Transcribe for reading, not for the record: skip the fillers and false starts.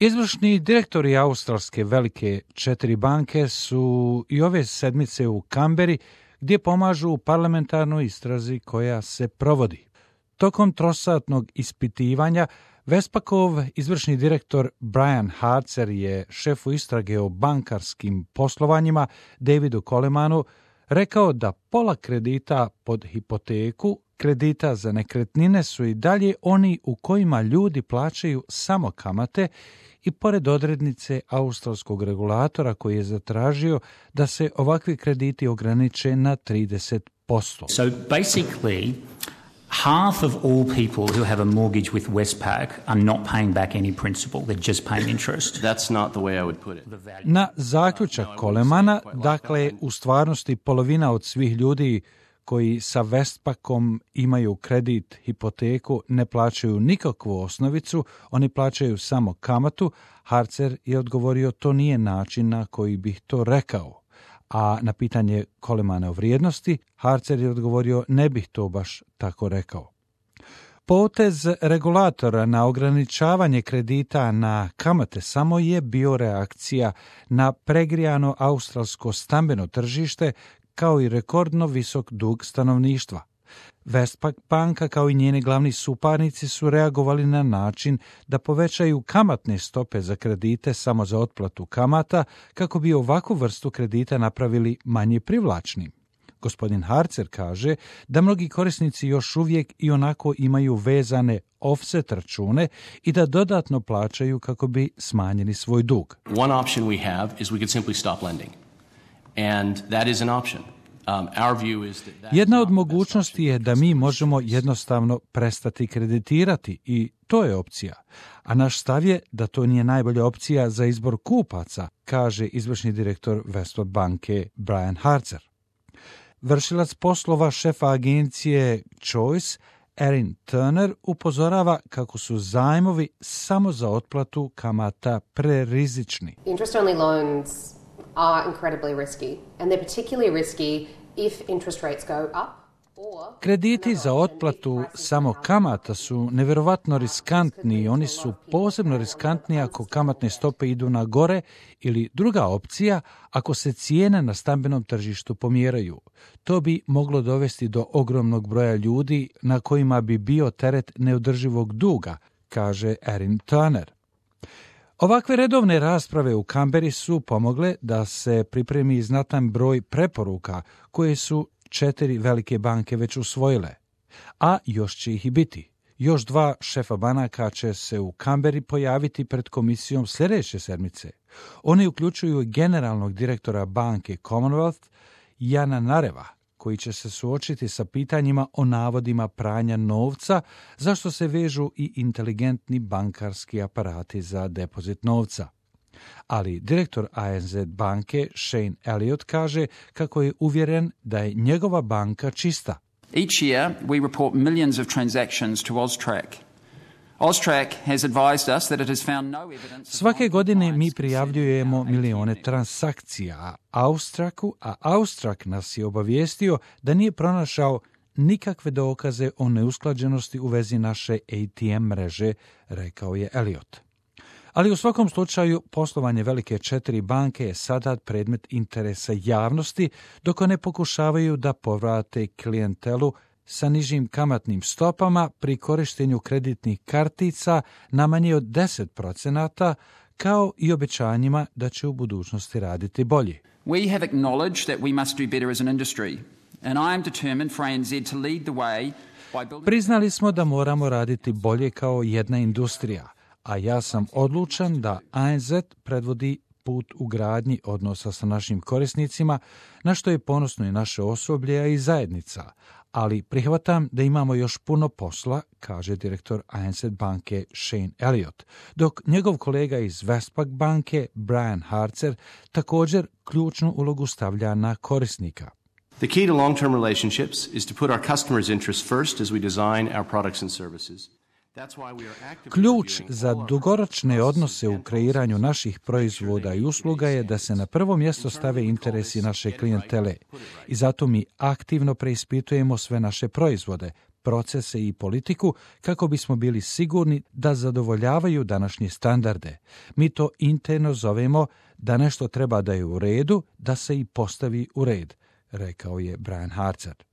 Izvršni direktori australske velike 4 banke su i ove sedmice u Kamberi, gdje pomažu u parlamentarnoj istrazi koja se provodi. Tokom trosatnog ispitivanja Westpacov izvršni direktor Brian Harzer je šefu istrage o bankarskim poslovanjima Davidu Colemanu rekao da pola kredita pod hipoteku, kredita za nekretnine su i dalje oni u kojima ljudi plaćaju samo kamate i pored odrednice australskog regulatora koji je zatražio da se ovakvi krediti ograniče na 30%. So basically, half of all people who have a mortgage with Westpac are not paying back any principal, they're just paying interest. That's not the way I would put it. Na zaključak Colemana, dakle, u stvarnosti polovina od svih ljudi koji sa Westpacom imaju kredit, hipoteku, ne plaćaju nikakvu osnovicu, oni plaćaju samo kamatu. Harzer je odgovorio to nije način na koji bih to rekao. A na pitanje Colemana o vrijednosti, Harzer je odgovorio ne bih to baš tako rekao. Potez regulatora na ograničavanje kredita na kamate samo je bio reakcija na pregrijano australsko stambeno tržište kao i rekordno visok dug stanovništva. Westpac banka kao i njeni glavni suparnici su reagovali na način da povećaju kamatne stope za kredite samo za otplatu kamata kako bi ovakvu vrstu kredita napravili manje privlačnim. Gospodin Harzer kaže da mnogi korisnici još uvijek i onako imaju vezane offset račune i da dodatno plaćaju kako bi smanjili svoj dug. One option we have is we could simply stop lending. And that is an option. Jedna od mogućnosti je da mi možemo jednostavno prestati kreditirati i to je opcija. A naš stav je da to nije najbolja opcija za izbor kupaca, kaže izvršni direktor Westpac banke Brian Harzer. Vršilac poslova šefa agencije Choice, Erin Turner, upozorava kako su zajmovi samo za otplatu kamata prerizični. Interest-only loans are incredibly risky, and they're particularly risky if interest rates go up. Krediti za otplatu samo kamata su nevjerovatno riskantni i oni su posebno riskantni ako kamatne stope idu na gore ili druga opcija ako se cijene na stambenom tržištu pomjeraju. To bi moglo dovesti do ogromnog broja ljudi na kojima bi bio teret neodrživog duga, kaže Erin Turner. Ovakve redovne rasprave u Kamberi su pomogle da se pripremi znatan broj preporuka koje su 4 velike banke već usvojile, a još će ih i biti. Još 2 šefa banaka će se u Kamberi pojaviti pred komisijom sljedeće sedmice. Oni uključuju generalnog direktora banke Commonwealth, Jana Nareva, koji će se suočiti sa pitanjima o navodima pranja novca, zašto se vežu i inteligentni bankarski aparati za depozit novca. Ali direktor ANZ banke Shane Elliott kaže kako je uvjeren da je njegova banka čista. Each year we report millions of transactions to Austrac. Austrac has advised us that it has found no evidence. Svake godine mi prijavljujemo milione transakcija a Austrac nas je obavijestio da nije pronašao nikakve dokaze o neusklađenosti u vezi naše ATM mreže, rekao je Elliott. Ali u svakom slučaju poslovanje velike 4 banke je sada predmet interesa javnosti dok one pokušavaju da povrate klijentelu sa nižim kamatnim stopama pri korištenju kreditnih kartica na manje od 10%, kao i obećanjima da će u budućnosti raditi bolje. We have acknowledged that we must do better as an industry, and I am determined for ANZ to lead the way by building... Priznali smo da moramo raditi bolje kao jedna industrija, a ja sam odlučan da ANZ predvodi put u gradnji odnosa sa našim korisnicima, na što je ponosno i naše osoblje, a i zajednica. Ali prihvatam da imamo još puno posla, kaže direktor ANZ banke Shane Elliott, dok njegov kolega iz Westpac banke Brian Harzer također ključnu ulogu stavlja na korisnika. The key to long-term relationships is to put our customers' interests first as we design our products and services. Ključ za dugoročne odnose u kreiranju naših proizvoda i usluga je da se na prvo mjesto stave interesi naše klijentele i zato mi aktivno preispitujemo sve naše proizvode, procese i politiku kako bismo bili sigurni da zadovoljavaju današnje standarde. Mi to interno zovemo da nešto treba da je u redu, da se i postavi u red, rekao je Brian Hartzad.